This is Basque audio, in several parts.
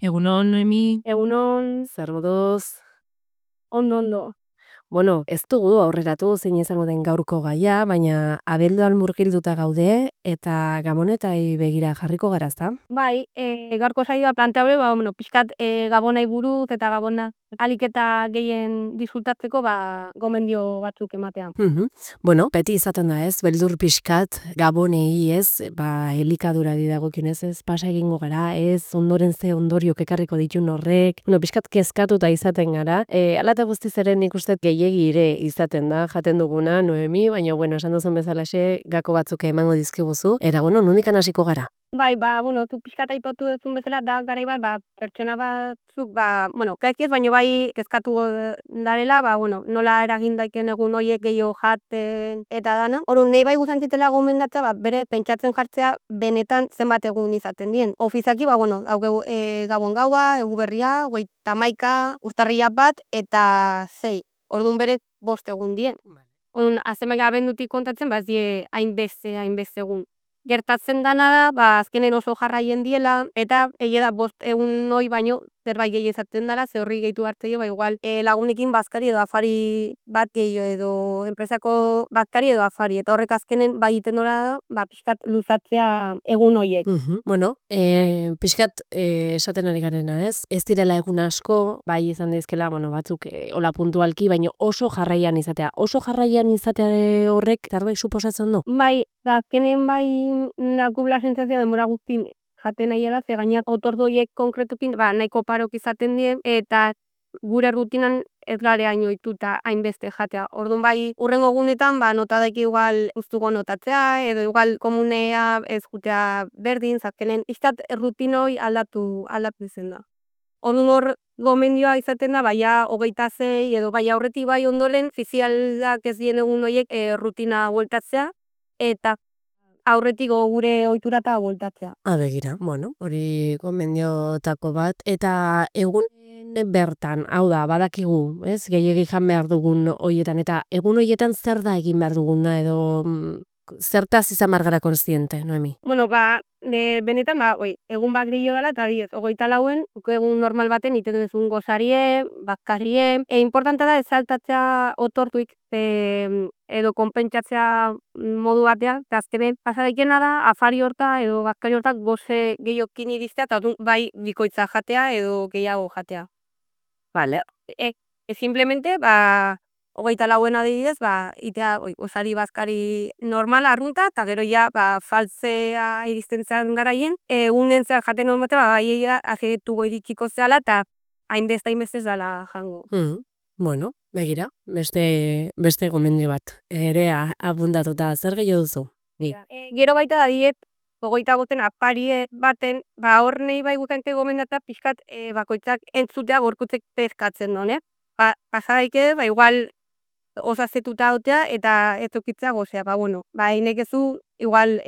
Egunon, Noemi. Egunon, Zer moduz? ondo. Bueno, ez dugu aurreratu zein izango den gaurko gaia, baina abelduan murgilduta gaude eta gabonetai begira jarriko gara, ezta? Bai, gaurko saioa planteabe, pixkat gabonai buruz eta gabona ahalik eta gehien disfrutatzeko, gomendio batzuk ematea. Bueno, beti izaten da ez, beldur pixkat, gabonei ez, elikadurari dagokionez ez, pasa egingo gara, ez, ondoren ze ondoriok ekarriko ditun horrek, pixkat kezkatuta izaten gara, ala eta guztiz ere nik uste gehiegi ere izaten da, jaten duguna, Noemi, baina, esan duzun bezalaxe, gako batzuk emango dizkiguzu, eta, nondikan hasiko gara? Bai, zu pixkat aipatu duzun bezala, da garai bat, pertsona batzuk, gaiki ez, baina bai kezkatu darela, nola eragin daiken egun horiek gehiago jaten eta dana. Orduan, nahi bai guzan zitela gomendatza, bere pentsatzen jartzea benetan zenbat egun izaten dien. Ofizaki, hau gabon gaua, egu berria, 31, urtarrilak 1 eta 6. Orduan bere 5 egun dien. Orduan, azemeka abendutik kontatzen, ez die hainbeste egun. Gertatzen dana da, azkenen oso jarraien diela, eta egia da 5 egun hoi baino zerbait gehi izaten dela, ze horri gehitu hartzeio, igual lagunekin bazkari edo afari bat gehiago edo enpresako bazkari edo afari, eta horrek azkenen bai egiten dola da, pixkat luzatzea egun hoiek. Bueno, pixkat esaten ari garena ez, ez direla egun asko, bai izan dizkela, batzuk hola puntualki, baina oso jarraian izatea horrek zerbait suposatzen du? Bai, azkenen bai nakubla sentsazioa denbora guztin jaten nahiela, ze gainak otordoiek konkretukin nahiko parok izaten dien, eta gure rutinan ez gare hain ohituta hainbeste jatea. Orduan bai, urrengo egunetan nota daiki igual gustuko notatzea, edo igual komunea ez jutea berdin, azkenen izat rutinoi aldatu izen da. Orduan hor gomendioa izaten da, 26 edo aurretik bai ondoren, fizialak ez dien egun horiek rutina bueltatzea, eta aurretik gure ohiturata bueltatzea. Begira, hori gomendiotako bat, eta egunen bertan, hau da, badakigu, ez, gehiegi jan behar dugun horietan, eta egun horietan zer da egin behar duguna, edo zertaz izan margara konstiente, Noemi? Benetan, egun bat gehiago dela, eta 24 egun normal baten iten duzun gozarie, bazkarie. Importante da, ezaltatzea otortuik, edo konpentsatzea modu batean, eta azkenen pasadaikena da, afari horta edo bazkari hortak goze gehiokin iriztea, eta bai bikoitza jatea edo gehiago jatea. Vale. Simplemente, 24 adibidez, itea gozari bazkari normal arrunta, eta gero faltzea iristen zen garaien, egunen zehar jaten normatea, bai ajetuko iritsiko zehala, eta hainbeste dela jango. Bueno, begira, beste gomendio bat, ere abundatuta, zer gehiago duzu? Gero baita da diet, 25 afari baten, hor nahi bai guzante gomendata pixkat bakoitzak entzutea gorkutzek pezkatzen duen, pasadaike, igual osazetuta dotea eta ez okitza gozea, hinek ezu, igual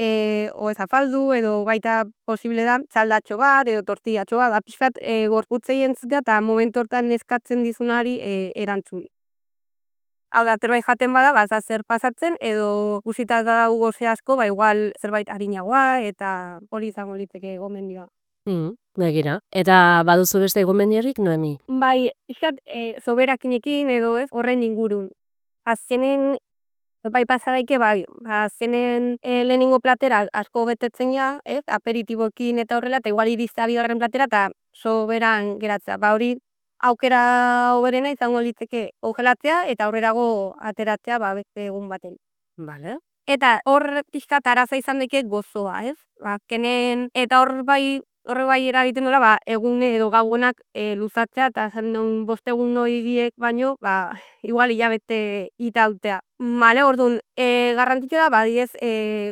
o ez afaldu, edo baita posible da, txaldatxo bat, edo tortillatxo bat, pixkat gorkutzei entzutea, eta momentu hortan eskatzen dizunari erantzun. Hau da, zerbait jaten bada, zer pasatzen, edo guzita da goze asko, igual zerbait harinagoa, eta hori izango litzeke gomendioa. Begira, eta baduzu beste gomendiorik, Noemi? Bai, pixkat, soberakinekin edo ez, horren ingurun. Azkenen, pasadaike, azkenen lehenengo platera asko betetzen ja, aperitibokin eta horrela, eta igual iriztea bigarren platera, eta soberan geratzea. Hori aukera hoberena izango litzeke kongelatzea eta aurrerago ateratzea beste egun baten. Vale. Eta hor pixkat araza izan deke gozoa, ez? Azkenen, eta horre bai eragiten dola, egun edo gauenak luzatzea, eta zen 5 egun horiek baino, igual hilabete itautea. Orduan, garrantzitsua da,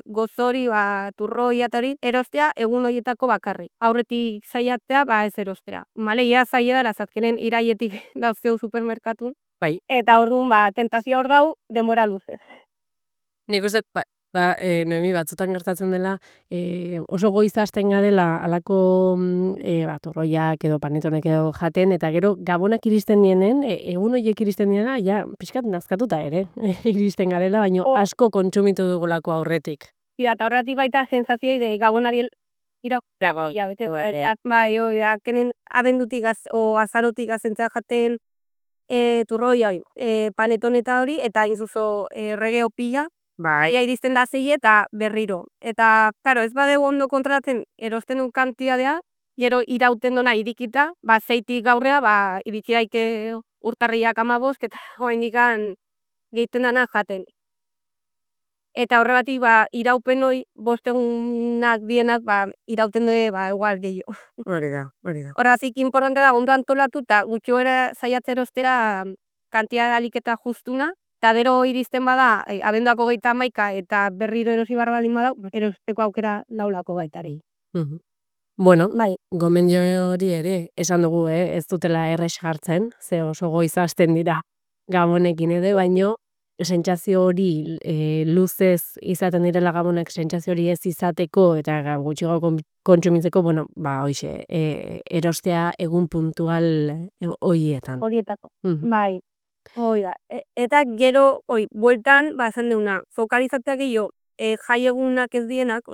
gozori, turroi eta hori, erostea egun horietako bakarrik. Aurretik zaiatzea, ez erostea. Ia zaila da, azkenen iraietik dauzkeu supermerkatun. Bai. Eta orduan, tentazio hor dau, denbora luzez. Nik uste, Noemi, batzutan gertatzen dela, oso goiza hasten garela alako torroiak edo panetonek edo jaten, eta gero gabonak iristen dienen, egun horiek iristen diena, pixkat nazkatuta ere, iristen garela, baina asko kontsumitu dugulako aurretik. Eta horretik baita sensazioi de gabonari Dago, hilabete, bai, azkenen abendutik azarotik azentzea jaten turroi, paneton eta hori, eta inzuzo regeo pila, bai. ia iristen da zei eta berriro. Eta, claro, ez badeu ondo kontrolatzen erosten duen kantidadea, gero irauten dona irikita, zeitik gaurrea, iritsi daike urtarriak 15, eta oraindikan gehiten dana jaten. Eta horregatik, iraupen hori, 5 egunak dienak, irauten dute, igual gehiago. Hori da. Horregatik, importante da, ondo antolatu, eta gutxi gora saiatzea erostera kantitate ahalik eta justuna, eta gero iristen bada, abenduak 31 eta berriro erosi behar baldin badau, erosteko aukera daulako baitari. Bueno, Bai. gomendio hori ere, esan dugu, ez dutela errex jartzen, ze oso goiz hasten dira gabonekin ere, baino sentsazio hori luzez izaten direla gabonek, sentsazio hori ez izateko eta gutxiago kontsumitzeko, bueno, hoixe, erostea egun puntual horietan. Horietako, bai. Hoi da. Eta gero, bueltan, esan deuna, fokalizatzea gehiago, jai egunak ez dienak,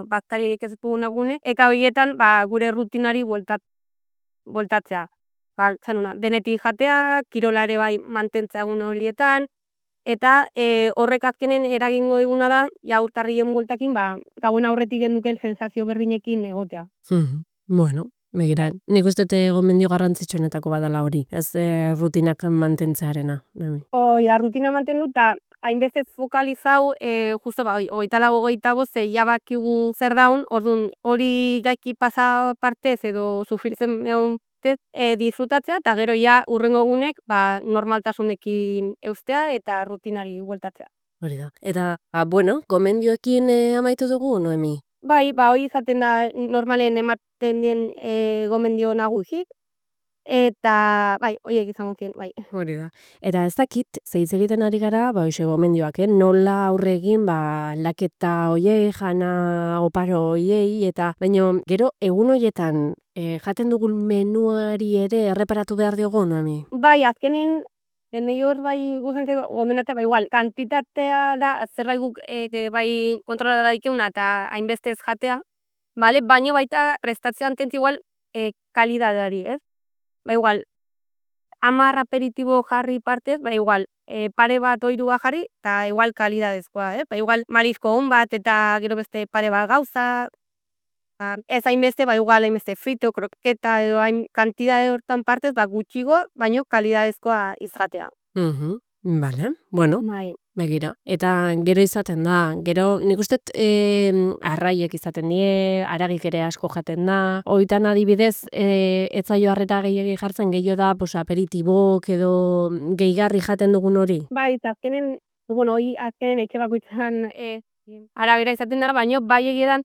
baktariek ez duguna gune, eta horietan, gure rutinari bueltatzea. Denetik jatea, kirola ere bai mantentzea egun horietan, eta horrek azkenen eragingo diguna da, urtarrien bueltakin, gauen aurretik genduken sensazio berdinekin egotea. Bueno, begira, nik uste gomendio garrantzitsuenetako badala hori, ez rutinak mantentzearena. Hoi da, rutina mantendu, eta hainbeste fokalizau, justo 24 ja bakigu zer daun, orduan hori gaiki pasa partez edo sufritzen egon disfrutatzea, eta gero ja urrengo egunek normaltasunekin eustea eta rutinari bueltatzea. Hori da. Eta, bueno, gomendioekin amaitu dugu, Noemi? Bai, hori izaten da normalen ematen dien gomendio nagusi, eta bai, horiek izango zien, bai. Hori da. Eta ez dakit, zeiz egiten ari gara, hoxe gomendioak, nola aurre egin, aldaketa hoiei, jana oparo hoiei, eta baino, gero, egun horietan jaten dugun menuari ere erreparatu behar diogu, Noemi? Bai, azkenen, denei hor guzentzeko, gomendatzea, igual, kantitatea da, zerbait guk bai kontrola daikeuna eta hainbestez jatea, bale? Baino baita prestatzea antentzi igual kalidadeari, ez? Igual, 10 aperitibo jarri partez, igual, pare bat oirua jarri, eta igual kalidadezkoa, igual marizko on bat, eta gero beste pare bat gauza, ez hainbeste, igual hainbeste frito, kroketa, edo hain kantidade hortan partez, gutxigo, baino kalidadezkoa izatea. Bale, bueno, begira. Eta gero izaten da, gero nik uste arraiek izaten die, haragik ere asko jaten da, hoitan adibidez, ez zaio harreta gehiagi jartzen, gehiago da, aperitibok edo gehigarri jaten dugun hori? Bai, eta azkenen, azkenen etxe bakoitzan arabera izaten dara, baino bai egiedan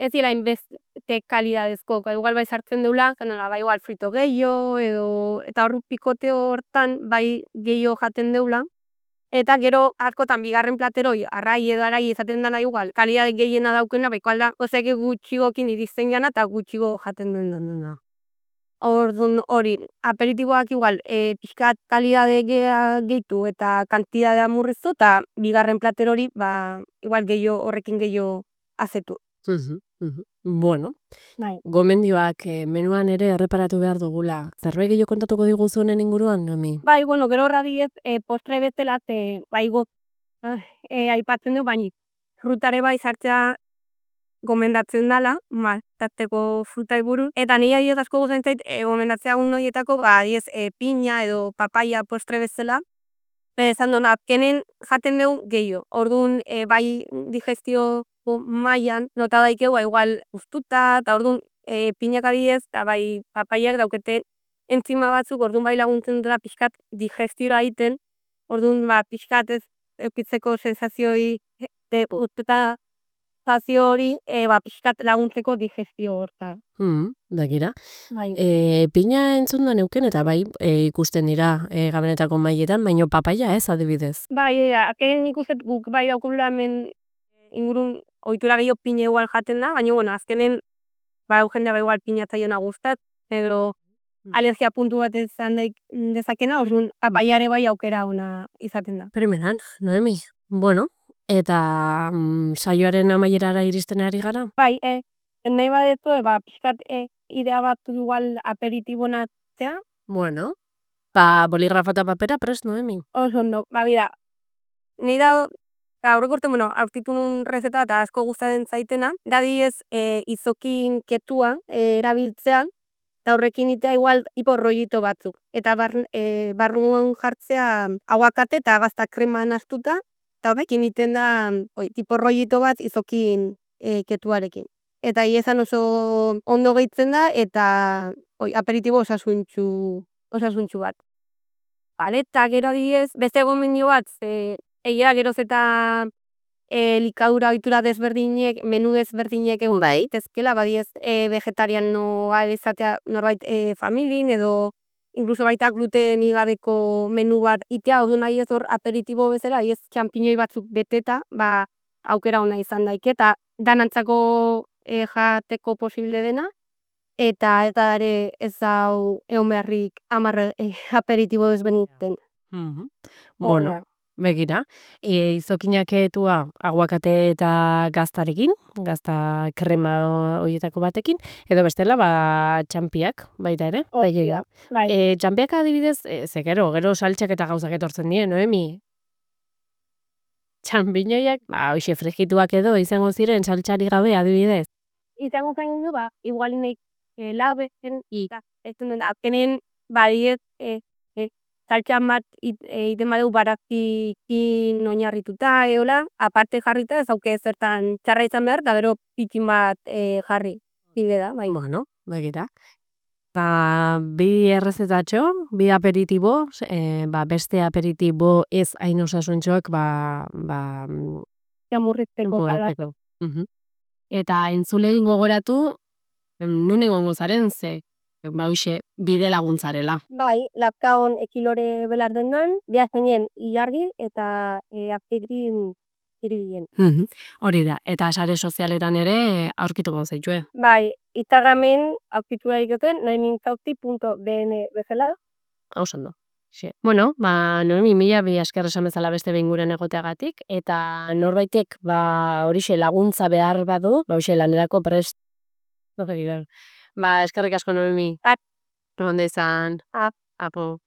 ez dira hainbeste kalidadezko, igual bai sartzen deula, igual frito gehiago, eta hor pikote hortan bai gehiago jaten deula, eta gero askotan bigarren plateroi, arrai edo arai izaten dana igual, kalidade gehiena daukena, igual da, gutxigokin iristen gana eta gutxigo jaten dena. Orduan hori, aperitiboak igual, pixkat kalidade gehitu eta kantidadea murriztu, eta bigarren plater hori, igual horrekin gehiago azetu. Bueno, gomendioak menuan ere erreparatu behar dugula. Zerbait gehiago kontatuko diguzu honen inguruan, Noemi? Bai, gero horradi ez, postre bezala, aipatzen du, baina frutare bai sartzea gomendatzen dela, tarteko frutai buruz. Eta nire adiez asko guzentzait, gomendatzea egun horietako, adiez, piña edo papaia postre bezala. Esan duen, azkenen jaten dugu gehiago. Orduan, bai digestio mailan nota daikegu, igual guztuta, eta orduan, piñak adiez, eta bai papaiak daukete entzima batzuk, orduan bai laguntzen dela pixkat digestiora egiten, orduan pixkat ez eukitzeko sensazioi guztuta zazio hori, pixkat laguntzeko digestio horta. Begira. Piña entzun da neuken, eta bai ikusten dira gabonetako mailetan, baino papaia ez, adibidez. Bai, azken ikusten guk bai daukula hemen ingurun ohitura gehiago piña igual jaten da, baina azkenen jendea igual piña zaiona gustat, edo alergia puntu bat izan dezakena, orduan papaiare bai aukera ona izaten da. Primeran, Noemi. Bueno, eta saioaren amaierara iristen ari gara? Bai, nahi badetu, pixkat idea bat igual aperitibon hartzea. Bueno, boligrafo eta papera prest, Noemi. Oso ondo, bida, ni da, aurreko urte, aurkitu nun rezeta eta asko gustatzen zaitena, da diez izokin ketua erabiltzea, eta horrekin itea igual tipo rollito batzuk. Eta barruan jartzea aguakate eta gazta krema nastuta, eta horrekin iten da tipo rollito bat izokin ketuarekin. Eta iezan oso ondo gehitzen da, eta aperitibo osasuntxu bat. Bale, eta gero diez, beste gomendio bat, egia geroz eta likadura ohitura desberdinek, menu desberdinek egon daitezkela, badiez vegetarianoa izatea norbait familin, edo incluso baita gluten gabeko menu bat itea, orduan nahi ez hor aperitibo bezala, ez txampiñoi batzuk beteta, aukera ona izan daike, eta danantzako jateko posible dena, eta ere ez hau egon beharrik 10 aperitibo desberdinen. Bueno, begira, izokinak etua aguakate eta gaztarekin, gazta krema horietako batekin, edo bestela, txampiak, baita ere. Bai. Txampiak adibidez, ze gero saltxak eta gauzak etortzen die, Noemi? Txampiñoiak, hoxe frigituak edo izango ziren saltxari gabe adibidez. Izango zain du, igual nahi laben, ez duen, azkenen badiez saltxan bat iten badeu barakikin oinarrituta, eola, aparte jarrita ez auke zertan txarra izan behar, eta gero pitin bat jarri, bide da, bai. Bueno, begira. Bi errezetatxo, bi aperitibo, beste aperitibo ez hain osasuntxoak, Jamurritzeko. Eta entzulei gogoratu, nun egongo zaren ze, hoxe, bide laguntzarela. Bai, lapkaon ekilore belar dendan, biazenien ilargi eta apetrin iribilen. Hori da, eta sare sozialetan ere aurkituko zaitue. Bai, Instagramen aurkitu daiteke noemintauti.bn bezala. Oso ondo. Bueno, Noemi, mila bi esker esan bezala beste behin guren egoteagatik, eta norbaitek horixe laguntza behar badu, hoxe lanerako prest. Eskerrik asko, Noemi. Ondo izan. Apo.